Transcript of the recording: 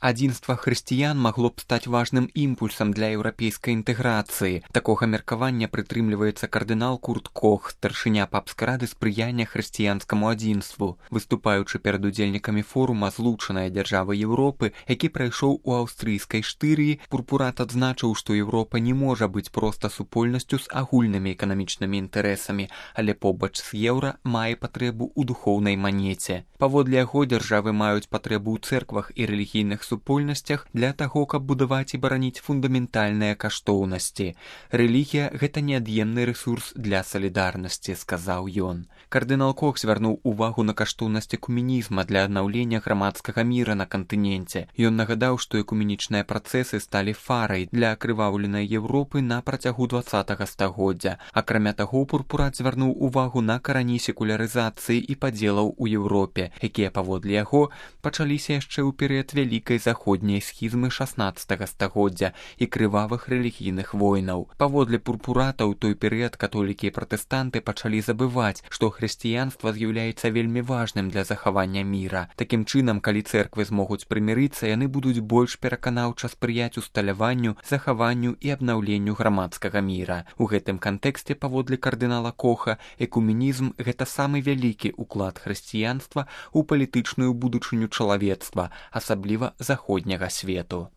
Адзінства хрысціян магло б стаць важным імпульсам для еўрапейскай інтэграцыі. Такога меркавання прытрымліваецца кардынал Курт Кох, старшыня папскай рады спрыяння хрысціянскаму адзінству. Выступаючы перад удзельнікамі форума «Злучаныя дзяржавы Еўропы», які прайшоў у аўстрыйскай Штырыі, Пурпурат адзначыў, што Еўропа не можа быць проста супольнасцю з агульнымі эканамічнымі інтарэсамі, але побач з еўра мае патрэбу ў духоўнай манеце. Паводле яго дзяржавы маюць патрэбу ў цэрквах і рэлігійных супольнасцях для таго, каб будаваць і бараніць фундаментальныя каштоўнасці. Рэлігія – гэта неад'емны рэсурс для салідарнасці, сказаў ён. Кардынал Кох звярнуў увагу на каштоўнасць экуменізма для аднаўлення грамадскага міра на кантыненце. Ён нагадаў, што экуменічныя працэсы сталі фарай для акрываўленай Еўропы на працягу 20-га стагоддзя. Акрамя таго, Пурпурат звярнуў увагу на карані секулярызацыі і падзелаў у Еўропе, якія, паводле яго, пачаліся яшчэ ў перыяд вялікай заходняй схізмы 16-га стагоддзя і крывавых рэлігійных войнаў. Паводле Пурпурата ў той перыяд католікі і пратэстанты пачалі забываць, што хрысціянства з'яўляецца вельмі важным для захавання міра. Такім чынам, калі цэрквы змогуць прымірыцца, яны будуць больш пераканаўча спрыяць усталяванню, захаванню і абнаўленню грамадскага міра. У гэтым кантэксце, паводле кардынала Коха, экуменізм – гэта самы вялікі ўклад хрысціянства ў палітычную будучыню чалавецтва, асабліва заходняга свету.